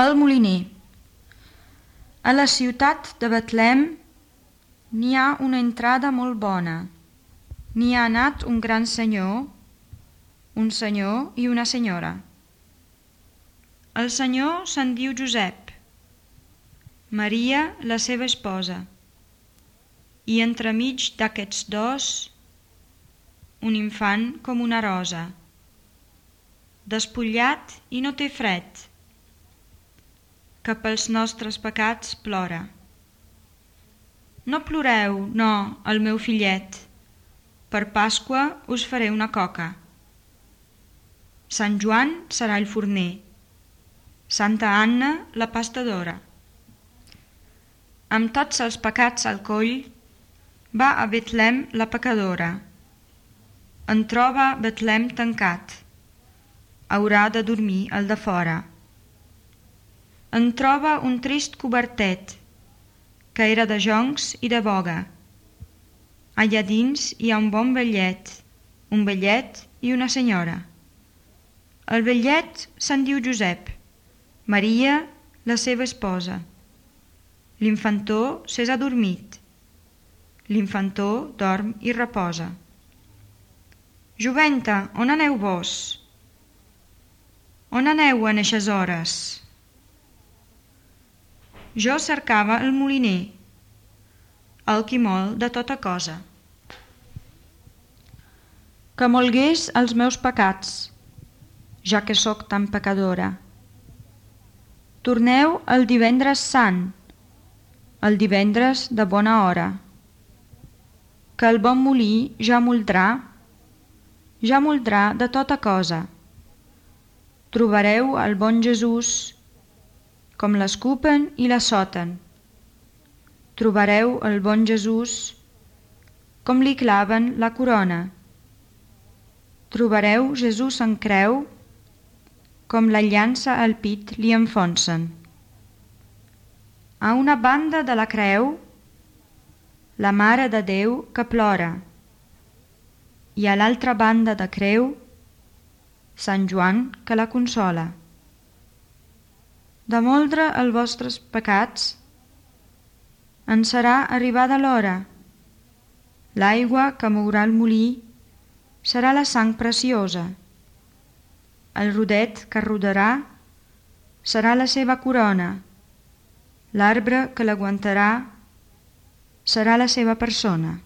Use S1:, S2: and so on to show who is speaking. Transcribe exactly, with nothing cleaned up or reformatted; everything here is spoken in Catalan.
S1: El moliner. A la ciutat de Betlem n'hi ha una entrada molt bona. N'hi ha anat un gran senyor, un senyor i una senyora. El senyor se'n diu Josep, Maria, la seva esposa, i entremig d'aquests dos, un infant com una rosa, despullat i no té fred, que pels nostres pecats plora. No ploreu, no, el meu fillet, per Pasqua us faré una coca. Sant Joan serà el forner, Santa Anna la pastadora. Amb tots els pecats al coll, va a Betlem la pecadora. En troba Betlem tancat, haurà de dormir al de fora. En troba un trist cobertet, que era de joncs i de boga. Allà dins hi ha un bon vellet, un vellet i una senyora. El vellet se'n diu Josep, Maria, la seva esposa. L'infantó s'és adormit. L'infantó dorm i reposa. Joventa, on aneu vos? On aneu en eixes hores? Jo cercava el moliner, el qui mol de tota cosa. Que molgués els meus pecats, ja que sóc tan pecadora. Torneu el divendres sant, el divendres de bona hora, que el bon molí ja moldrà, ja moldrà de tota cosa. Trobareu el bon Jesús, com l'escupen i l'assoten. Trobareu el bon Jesús, com li claven la corona. Trobareu Jesús en creu, com la llança al pit li enfonsen. A una banda de la creu, la Mare de Déu que plora, i a l'altra banda de creu, Sant Joan que la consola. De moldre els vostres pecats, en serà arribada l'hora. L'aigua que mourà el molí serà la sang preciosa. El rodet que rodarà serà la seva corona. L'arbre que l'aguantarà serà la seva persona.